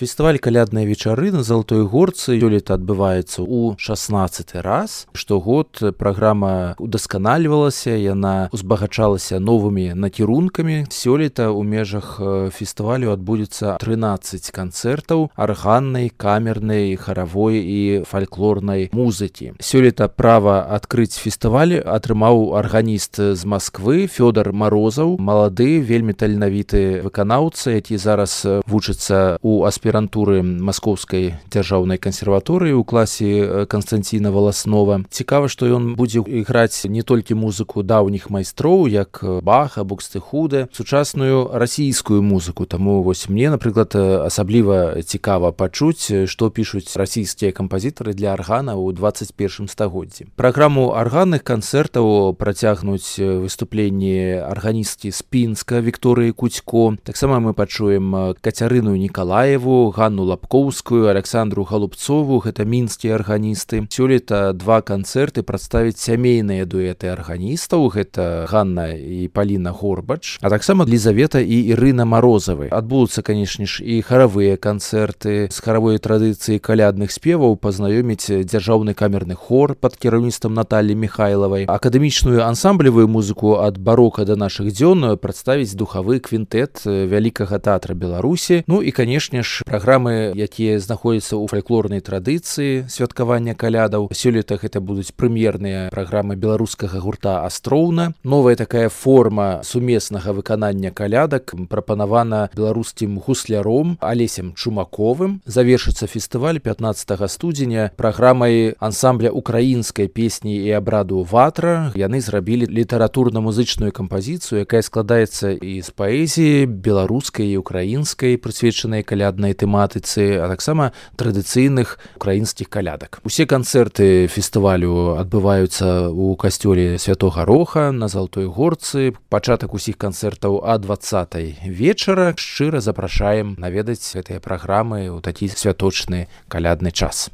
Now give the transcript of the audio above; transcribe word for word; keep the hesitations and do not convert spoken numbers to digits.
Фестываль калядныя вечары на Залатой Горцы сёлета адбываецца ў шаснаццаты раз. Штогод праграма удасканальвалася, яна узбагачалася новымі накірункамі. Сёлета ў межах фестывалю адбудзецца трынаццаць канцэртаў арганнай, камернай, харавой і фальклорнай музыкі. Сёлета права адкрыць фестываль атрымаў арганіст з Масквы Фёдор Марозаў, малады, вельмі таленавіты выканаўца, які зараз вучыцца ў аспірантуры Маскоўскай дзяржаўнай кансерваторыі ў класе Канстанціна Валаснова. Цікава, што ён будзе іграць не толькі музыку даўніх майстроў, як Баха, Букстехуде, сучасную расійскую музыку. Таму вось мне, напрыклад, асабліва цікава пачуць, што пішуць расійскія кампазітары для аргана ў дваццаць першым стагоддзі. Праграму арганных канцэртаў працягнуць выступленні арганісткі з Пінска Вікторыі Кудзько. Таксама мы пачуем Кацярыну Нікалаеву, Ганну Лапкоўскую, Александру Галубцову, гэта мінскія арганісты. Сёлета два канцэрты прадставяць сямейныя дуэты арганістаў, гэта Ганна і Паліна Горбач, а таксама Лізавета і Ірына Марозавы. Адбудуцца, канешне ж, і харавыя канцэрты. З харавой традыцыі калядных спеваў пазнаёміць дзяржаўны камерны хор пад кіраўніцтвам Наталлі Міхайлавай. Акадэмічную ансамблевую музыку ад барока да нашых дзён прадставіць духавы квінтэт Вялікага тэатра Беларусі. Ну і, канешне ж, праграмы, якія знаходзяцца ў фальклорнай традыцыі святкавання калядаў. Сёлета гэта будуць прэм'ерныя праграмы беларускага гурта Астроўна. Новая такая форма сумеснага выканання калядак прапанавана беларускім гусляром Алесем Чумаковым. Завершыцца фестываль пятнаццатага студзеня праграмай ансамбля украінскай песні і абраду «Ватра». Яны зрабілі літаратурна-музычную кампазіцыю, якая складаецца і з паэзіі беларускай і украінскай, прысвечанай каляднай тэматыцы, а таксама традыцыйных украінскіх калядак. Усе канцэрты фестывалю адбываюцца ў касцёле Святога Роха на Залатой Горцы. Пачатак усіх канцэртаў а дваццатай вечара. Шчыра запрашаем наведаць гэтыя праграмы ў такі святочны калядны час.